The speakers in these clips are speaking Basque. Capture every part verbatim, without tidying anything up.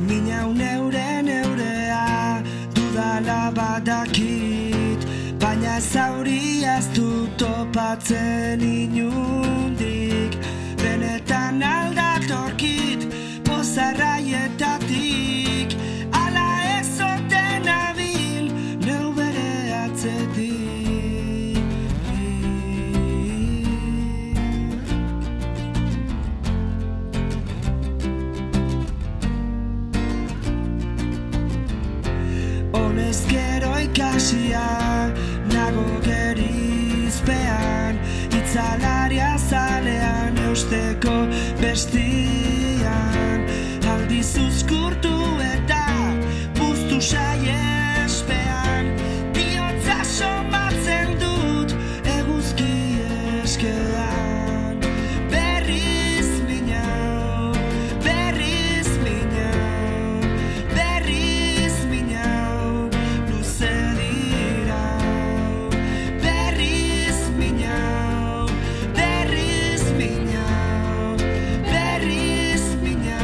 Minau neure neurea dudala badakit, baina zauri ez dut topatzen inundik. Benetan aldatorkit pozarraietatik, ala ez oten abil neu bere atzetik. Honezkero ikasia nago gerizpean, itzalaria zalean eusteko bestian. Aldiz uzkurtu eta puztu saiespean, bihotza somatzen dut eguzki eskean. Berriz minau, berriz minau, berriz minau, luze dira. Berriz minau, berriz minau, berriz minau.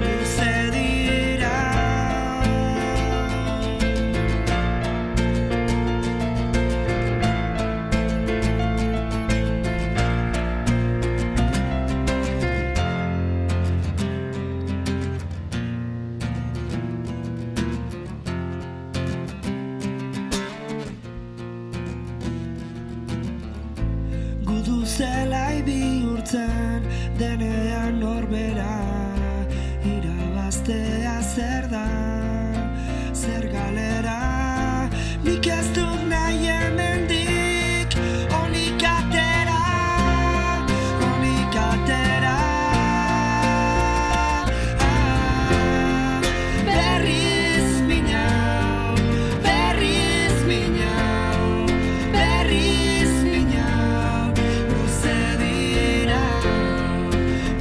Luze dira. Gudu zelai bihurtzen denean norbera, irabaztea zer da, zer galera. Nik ez dut nahi hemendik onik atera, onik atera. Ah, berriz minau, berriz minau, berriz minau, luze dira.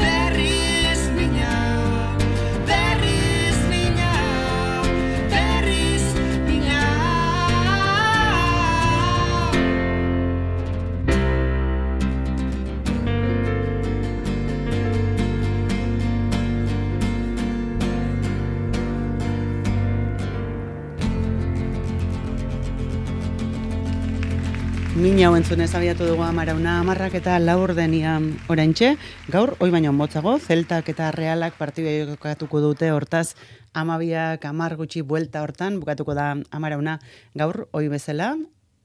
Berriz minau, berriz minau, berriz minau. Mina hau entzunez abiatu dugu Amarauna amarrak eta laur denian oraintxe. Gaur, hoi baino motzago, Zeltak eta Realak partidua jokatuko dute, hortaz amabiak amar gutxi buelta hortan, bukatuko da Amarauna gaur, hoi bezala,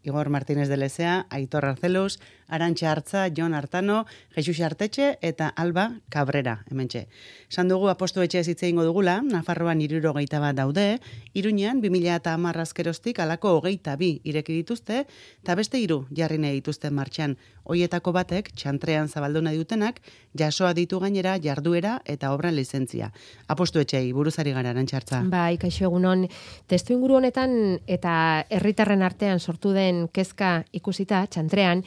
Igor Martínez de Lezea, Aitor Arcelus, Arantxa Artza, Jon Artano, Jesus Artetxe eta Alba Cabrera, hementxe. Esan dugu apostu etxe ez hitze egingo dugula, Nafarroan hirurogeita bat daude, Iruñean bi mila hamar azkeroztik alako hogeita bi ireki dituzte, eta beste hiru jarri nahi dituzte martxan. Hoietako batek, txantrean zabaldu nahi dutenak, jasoa ditu gainera jarduera eta obran lizentzia. Apostu etxei, buruzari gara, Arantxa Artza. Bai, kaixo egunon, testu inguru honetan eta herritarren artean sortu den kezka ikusita, txantrean,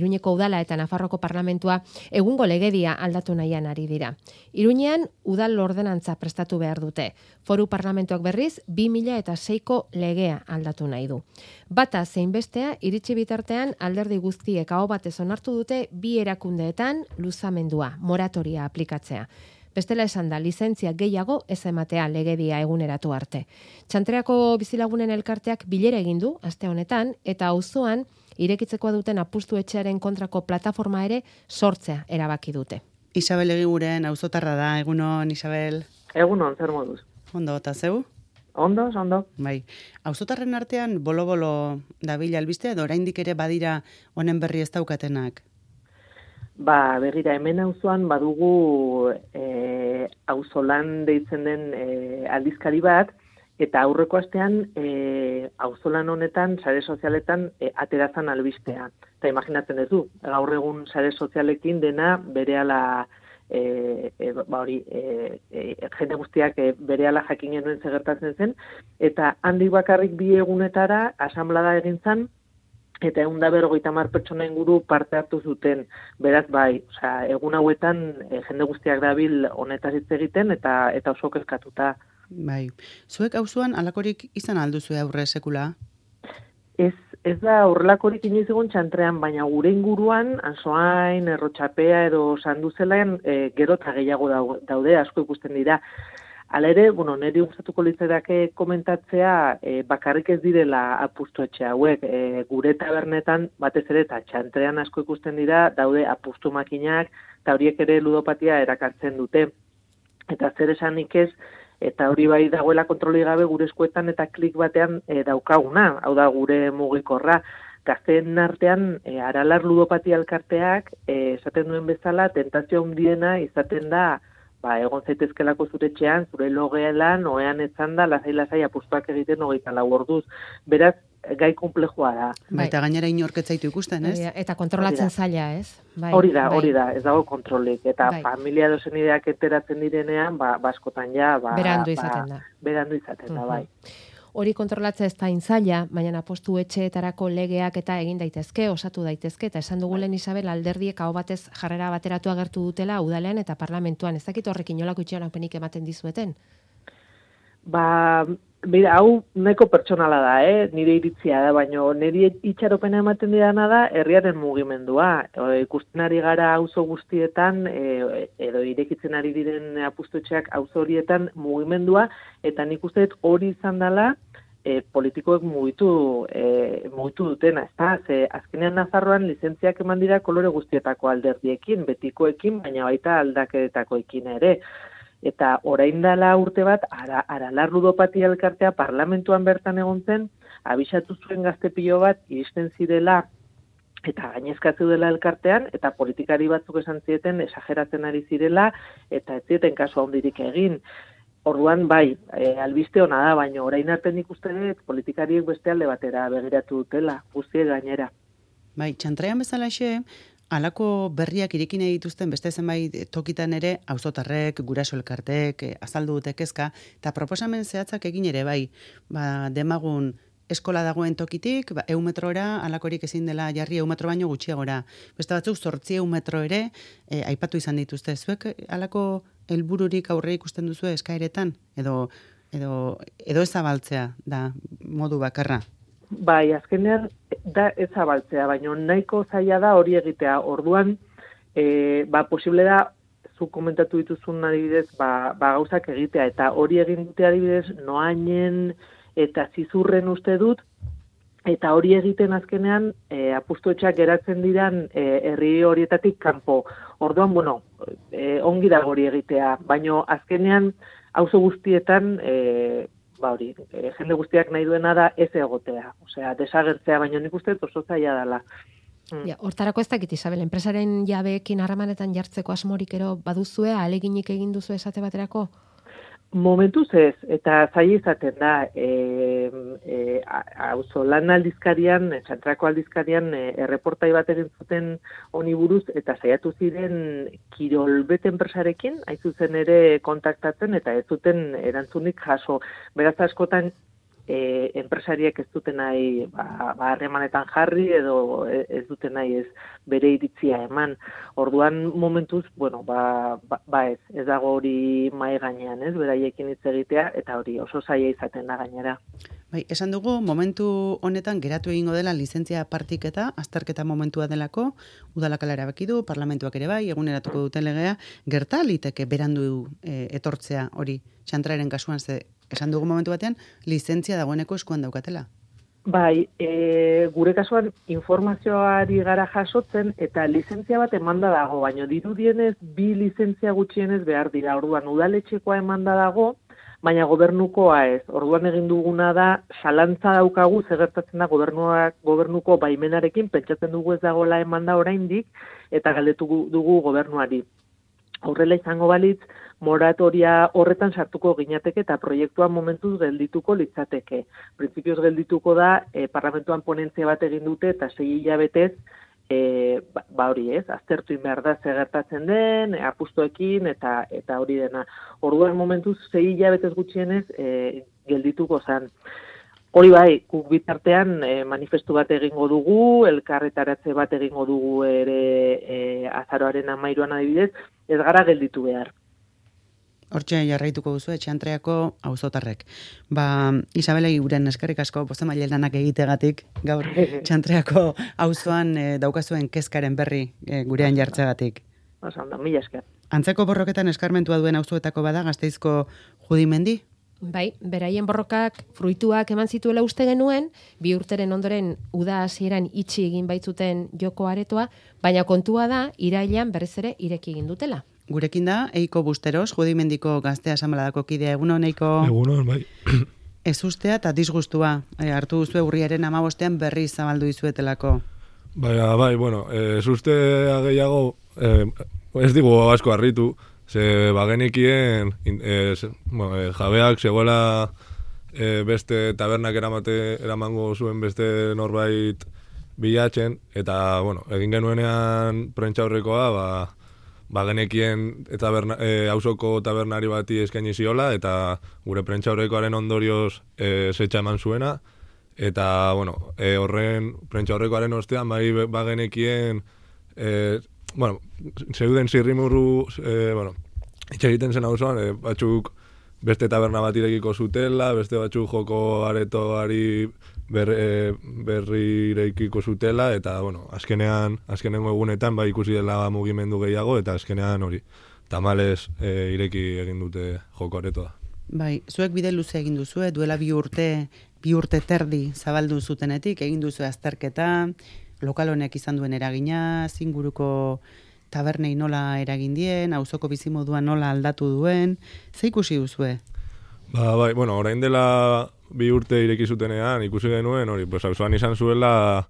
Iruñeko udala eta Nafarroko parlamentua egungo legedia aldatu nahian ari dira. Iruñean udal ordenantza prestatu behar dute. Foru parlamentuak berriz bi mila seiko legea aldatu nahi du. Bata zein bestea iritsi bitartean alderdi guztiek aho batez onartu dute bi erakundeetan luzamendua, moratoria aplikatzea. Bestela esan da, lizentzia gehiago ez ematea legedia eguneratu arte. Txantreako bizilagunen elkarteak bilera egin du aste honetan eta auzoan irekitzeko duten apustu etxearen kontrako plataforma ere sortzea erabaki dute. Isabel Egiguren auzotarra da, egunon Isabel. Egunon, zer moduz? Ondo, eta zeu? Ondo, ondo. Bai. Auzotarren artean bolo-bolo dabila albistea edo oraindik ere badira honen berri ez daukatenak? Ba, begira, hemen auzoan badugu e, auzolan deitzen den e, aldizkari bat, eta aurreko astean e, auzolan honetan, sare sozialetan, e, aterazan albistea. Eta imaginatzen ez du, gaur egun sare sozialekin dena berehala e, e, ba hori, e, e, jende guztiak e, berehala jakin genuen zegertatzen zen, eta handik bakarrik bi egunetara asanblada egin zen, eta egun da berrogeita hamar pertsona inguru parte hartu zuten. Beraz, bai, osea, egun hauetan e, jende guztiak dabil honetaz hitz egiten eta eta oso kezkatuta. Bai. Zuek auzoan halakorik izan alduzue aurre sekula? Ez, ez da horrelakorik inoiz egon txantrean, baina gure inguruan, Ansoain, Errotxapea edo Sanduzelaen e, gero eta gehiago daude, asko ikusten dira. Hala ere, bueno, niri gustatuko litzaidake komentatzea e, bakarrik ez direla apustu etxe hauek. E, gure tabernetan batez ere eta txantrean asko ikusten dira, daude apustu makinak, eta horiek ere ludopatia erakartzen dute. Eta zer esanik ez, eta hori bai dagoela kontroli gabe gure eskuetan eta klik batean e, daukaguna, hau da gure mugikorra. Gazteen artean, e, Aralar ludopatia elkarteak, e, esaten duen bezala, tentazio handiena izaten da, ba, egon zaitezkelako zure etxean, zure logelan, oean etzan da, lasai-lasai apustuak egiten hogeita lau orduz. Beraz, gai komplejua da. Bai, eta gainera inork ez zaitu ikusten, ez? Eta kontrolatzen zaila, ez? Bai, hori da, bai. hori da, ez dago kontrolik. Eta Bai. familia dozenideak enteratzen direnean, ba, baskotan ja, ba, Berandu ba, izaten da. Berandu izaten da, bai. Hori kontrolatzea ez da intzaila, baina apostu etxeetarako legeak eta egin daitezke, osatu daitezke, eta esan dugu lehen Isabel alderdiek hau batez jarrera bateratu agertu dutela udalean eta parlamentuan. Ez dakit horrekin nolako itxaropenik ematen dizueten? Ba, bera, hau nahiko pertsonala da, eh? Nire iritzia da, baina nire itxaropena ematen didana da herriaren mugimendua. E, ikusten ari gara auzo guztietan, e, edo irekitzen ari diren apustotxeak auzo horietan mugimendua, eta nik uste dut hori izan dela, e, politikoek mugitu, e, mugitu dutena, ezta? Ze azkenean Nafarroan lizentziak eman dira kolore guztietako alderdiekin, betikoekin, baina baita aldaketakoekin ere. Eta orain dela urte bat, ara, Aralar ludopatia elkartea parlamentuan bertan egon zen, abisatu zuen gazte pilo bat, iristen zirela, eta gainezkatzu dela elkartean, eta politikari batzuk esan zieten, esageratzen ari zirela, eta ez zieten kasu handirik egin. Orduan, bai, e, albiste ona da, baina orain arte nik uste dut politikariek beste alde batera begiratu dutela, guztie gainera. Bai, txantrean bezalaxe, halako berriak irekin dituzten beste zenbait tokitan ere auzotarrek, guraso elkarteek azaldu dute kezka eta proposamen zehatzak egin ere bai. Ba, demagun eskola dagoen tokitik, ba, eun metrora halakorik ezin dela jarri eun metro baino gutxiagora. Beste batzuk zortzi eun metro ere e, aipatu izan dituzte. Zuek halako helbururik aurre ikusten duzu eskaeretan edo edo edo ez zabaltzea da modu bakarra. Bai, azkenean da ez zabaltzea, baina nahiko zaila da hori egitea. Orduan, e, ba, posible da, zu komentatu dituzun adibidez, ba, ba gauzak egitea, eta hori egin dute adibidez, noainen eta zizurren uste dut, eta hori egiten azkenean, e, apustuetxak geratzen diran e, herri horietatik kanpo. Orduan, bueno, e, ongi da hori egitea, baina azkenean, auzo guztietan, e, ba hori, e, jende guztiak nahi duena da ez egotea, osea, desagertzea, baina nik uste oso zaila dela. Mm. Ja, hortarako ez dakit, Isabel, enpresaren jabeekin harremanetan jartzeko asmorik ero baduzue, ahaleginik egin duzu esate baterako? Momentuz ez, eta zaila izaten da, e, e, auzolan aldizkarian, txantrako aldizkarian, e, erreportai bat egin zuten honi buruz, eta saiatu ziren kirolbet enpresarekin, hain zuzen ere kontaktatzen, eta ez zuten erantzunik jaso. Beraz askotan, e, enpresariak ez duten nahi ba, ba, harremanetan jarri, edo ez duten nahi ez bere iritzia eman. Orduan momentuz, bueno, ba, ba, ba ez, ez dago hori mai gainean, ez, beraiekin hitz egitea, eta hori oso zaila izaten da gainera. Bai, esan dugu, momentu honetan geratu egingo dela lizentzia partiketa, azterketa momentua delako, udalak erabaki du, parlamentuak ere bai, eguneratuko duten legea, gerta liteke berandu e, etortzea hori, txantraren kasuan, ze esan dugu momentu batean, lizentzia dagoeneko eskuan daukatela. Bai, e, gure kasuan informazioari gara jasotzen eta lizentzia bat emanda dago, baina dirudienez bi lizentzia gutxienez behar dira. Orduan udaletxekoa emanda dago, baina gobernukoa ez. Orduan egin duguna da zalantza daukagu zer gertatzen da gobernuak gobernuko baimenarekin, pentsatzen dugu ez dagoela emanda oraindik eta galdetu dugu gobernuari. Horrela izango balitz, moratoria horretan sartuko ginateke eta proiektuan momentuz geldituko litzateke. Printzipioz geldituko da, e, parlamentuan ponentzia bat egin dute eta sei hilabetez, e, ba, ba hori ez, aztertu behar da zer gertatzen den, e, apustuekin eta eta hori dena. Orduan momentuz sei hilabetez gutxienez e, geldituko zen. Hori bai, guk bitartean e, manifestu bat egingo dugu, elkarretaratze bat egingo dugu ere e, azaroaren hamairuan adibidez, ez gara gelditu behar. Hortxe jarraituko duzu Txantreako auzotarrek. Ba, Isabela Iguren eskerrik asko bozemaile lanak egitegatik gaur Txantreako auzoan e, daukazuen kezkaren berri e, gurean jartzegatik. Oso ondo, mila esker. Antzeko borroketan eskarmentua duen auzoetako bada Gasteizko Judimendi? Bai, beraien borrokak fruituak eman zituela uste genuen, bi urteren ondoren uda hasieran itxi egin baitzuten joko aretoa, baina kontua da irailean berriz ere ireki egin dutela. Gurekin da, Eiko Busteros, Judimendiko Gazte Asanbladako kidea. Egunon, Eiko? Egunon, bai. Ez ustea eta disgustua. E, hartu duzue urriaren amabostean berriz zabaldu izuetelako. Bai, bai, bueno, ez ustea gehiago, eh, ez digu asko harritu, ze bagenekien eh, bueno, eh, jabeak zegoela eh, beste tabernak eramate, eramango zuen beste norbait bilatzen, eta, bueno, egin genuenean prentxaurrekoa, ba, ba genekien taberna, e, auzoko tabernari bati eskaini ziola, eta gure prentxaurrekoaren ondorioz e, zetxa eman zuena, eta, bueno, e, horren prentxaurrekoaren ostean, bai ba genekien, e, bueno, zeuden zirrimurru, e, bueno, itxe egiten zen auzoan, e, batzuk beste taberna bat irekiko zutela, beste batzuk joko aretoari ber, e, berri irekiko zutela, eta, bueno, azkenean, azkenengo egunetan, bai ikusi dela mugimendu gehiago, eta azkenean hori, tamalez e, ireki egin dute joko aretoa. Bai, zuek bide luze egin duzue, duela bi urte, bi urte terdi zabaldu zutenetik, egin duzu azterketa, lokal honek izan duen eragina, zinguruko tabernei nola eragin dien, auzoko bizimodua nola aldatu duen, ze ikusi duzue? Ba, bai, bueno, orain dela bi urte ireki zutenean, ikusi genuen, hori, pues, auzoan izan zuela,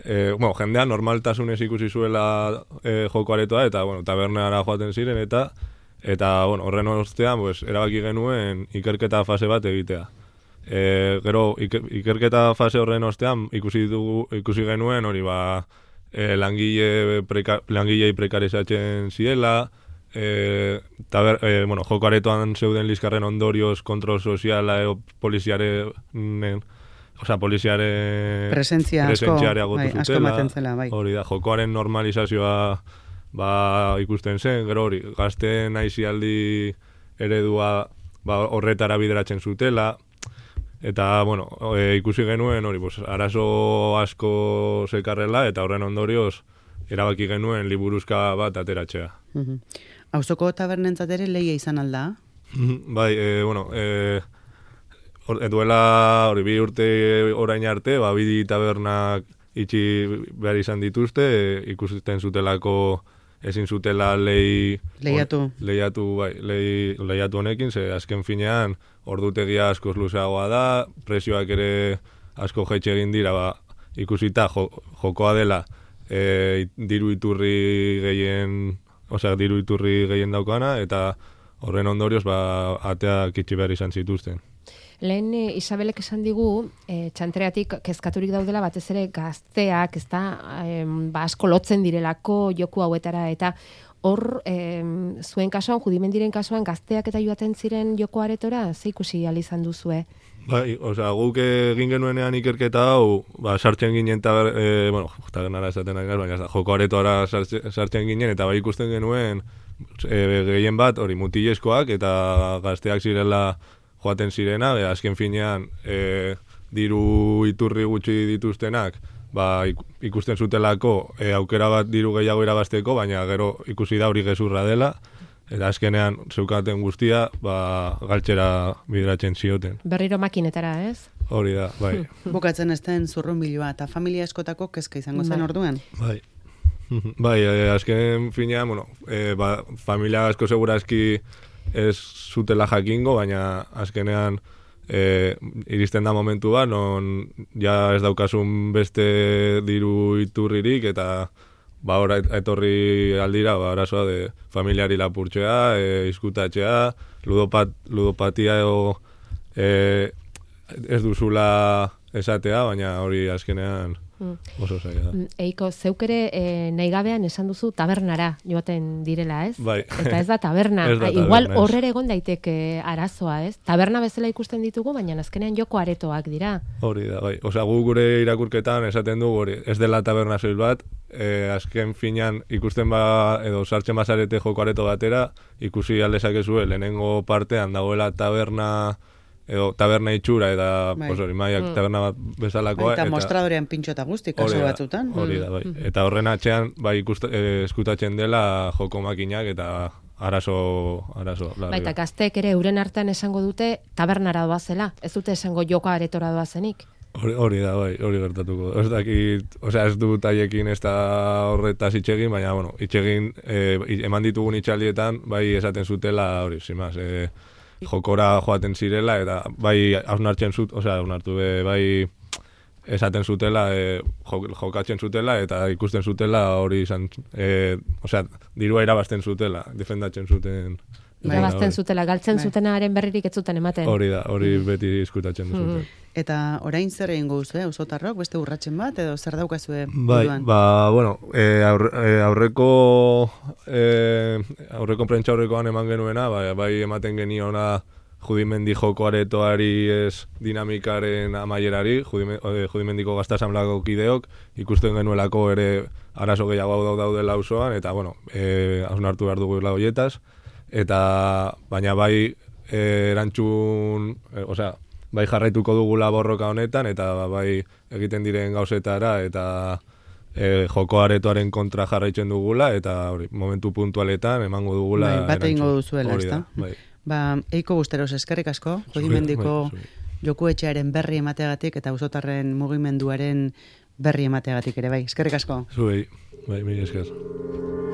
eh, bueno, jendea normaltasunez ikusi zuela eh, joko aretoa, eta, bueno, tabernara joaten ziren, eta, eta, bueno, horren ostean, pues, erabaki genuen ikerketa fase bat egitea. E, gero, iker, ikerketa fase horren ostean, ikusi, dugu, ikusi genuen, hori, ba, e, langile preka, langilei prekarizatzen ziela, e, taber, e, bueno, joko aretoan zeuden liskarren ondorioz kontrol soziala e, poliziaren, osea, poliziaren presentzia asko, bai, asko ematen zela, bai. Hori da, jokoaren normalizazioa ba, ikusten zen, gero hori, gazteen aizialdi eredua ba, horretara bideratzen zutela, eta, bueno, e, ikusi genuen, hori, pues, arazo asko zekarrela, eta horren ondorioz, erabaki genuen liburuzka bat ateratzea. Mhm. Auzoko tabernentzat ere lehia izan alda? Bai, e, bueno, e, or, duela hori bi urte orain arte, ba, bi tabernak itxi behar izan dituzte, e, ikusten zutelako ezin zutela lehi... Lehiatu. Or, lehiatu, bai, lehi, lehiatu honekin, ze azken finean ordutegia askoz luzeagoa da, presioak ere asko jaitxe egin dira, ba, ikusita jo, jokoa dela e, diru iturri gehien, osea, diru iturri gehien daukana, eta horren ondorioz, ba, ateak itxi behar izan zituzten. Lehen e, Isabelek esan digu, e, Txantreatik kezkaturik daudela batez ere gazteak, ez da, e, ba, asko lotzen direlako joku hauetara, eta hor, e, zuen kasuan, Judimendiren kasuan, gazteak eta joaten ziren joko aretora, ze ikusi ahal izan duzue? Bai, osea, guk egin genuenean ikerketa hau, ba, sartzen ginen, taber, e, bueno, tabernara esaten ari gara, baina joko aretoara sartzen ginen, eta bai ikusten genuen e, gehien bat, hori mutilezkoak, eta gazteak zirela joaten zirena, e, azken finean e, diru iturri gutxi dituztenak, ba, ikusten zutelako e, aukera bat diru gehiago irabazteko, baina gero ikusi da hori gezurra dela, eta azkenean zeukaten guztia, ba, galtzera bideratzen zioten. Berriro makinetara, ez? Hori da, bai. Bukatzen ez den zurrunbilua, eta familia askotako kezka izango zen orduan? Bai. Bai, e, azken finean, bueno, e, ba, familia asko segurazki ez zutela jakingo, baina azkenean e, iristen da momentu bat, non ja ez daukasun beste diru iturririk, eta ba, ora etorri aldira, ba, arazoa de familiari lapurtzea, e, izkutatzea, ludopat, ludopatia edo e, ez duzula esatea, baina hori azkenean oso zaila da. Eiko, zeuk ere e, nahi gabean esan duzu tabernara joaten direla, ez? Bai. Eta ez da taberna. Ez da taberna, igual ez. horrere egon daiteke arazoa, ez? Taberna bezala ikusten ditugu, baina azkenean joko aretoak dira. Hori da, bai. Osea, gu gure irakurketan esaten du, hori, ez dela taberna soil bat, e, azken finan ikusten ba, edo sartzen bazarete joko areto batera, ikusi aldezakezue lehenengo partean dagoela taberna, edo taberna itxura, eta, Bai. pues hori, maiak taberna bat bezalakoa. Eta mostradorean pintxo eta guzti, kasu hori da, batzutan. Hori da, bai. Eta horren atzean, bai, ikusta, eh, eskutatzen dela joko makinak eta arazo, arazo. larri Baita bat. gazteek ere euren artean esango dute tabernara doazela, ez dute esango joko aretora doazenik. Hori, hori da, bai, hori gertatuko. Ez dakit, osea, ez dut haiekin ez da horretaz itxegin, baina, bueno, itxegin, eh, eman ditugun itxaldietan, bai esaten zutela, hori, zimaz, eh, jokora joaten zirela, eta bai hausnartzen zut, osea, hausnartu be, bai esaten zutela, e, jokatzen zutela, eta ikusten zutela hori izan, e, osea, dirua irabazten zutela, defendatzen zuten. Irabazten Bai. zutela, galtzen Bai. zutenaren berririk ez zuten ematen. Hori da, hori beti izkutatzen zuten. Eta orain zer egingo duzu, eh? Auzotarrok, beste urratsen bat, edo zer daukazue Bai, buruan? ba, bueno, e, aurre, e, aurreko e, aurreko prentsa aurrekoan eman genuena, bai, bai ematen geniona Judimendi joko aretoari ez dinamikaren amaierari, Judime, e, Judimendiko gazta asamblako kideok, ikusten genuelako ere arazo gehiago daudela auzoan, eta, bueno, e, hausnartu behar dugu hoietaz, eta, baina bai e, erantzun, e, osea, bai jarraituko dugula borroka honetan, eta bai egiten diren gauzetara, eta e, joko aretoaren kontra jarraitzen dugula, eta hori, momentu puntualetan emango dugula. Bai, bat egingo erantzun. duzuela, Hori da, ezta? bai. Ba, Eiko Busteros eskerrik asko, Judimendiko bai, zuri. jokuetxearen berri emateagatik eta auzotarren mugimenduaren berri emateagatik ere bai. Eskerrik asko. Zuei, bai, mila esker.